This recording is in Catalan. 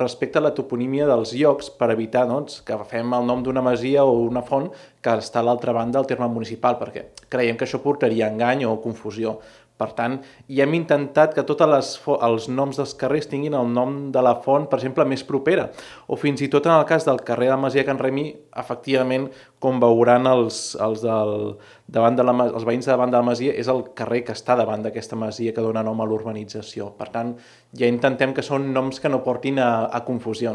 respecte a la toponímia dels llocs per evitar que agafem el nom d'una masia o una font que està a l'altra banda del terme municipal, perquè creiem que això portaria a engany o confusió. Per tant, ja hem intentat que tots els noms dels carrers tinguin el nom de la font, per exemple, més propera. O fins i tot en el cas del carrer de la Masia Can Remi, efectivament, com veuran els veïns de davant de la masia, és el carrer que està davant d'aquesta masia que dona nom a l'urbanització. Per tant, ja intentem que són noms que no portin a confusions.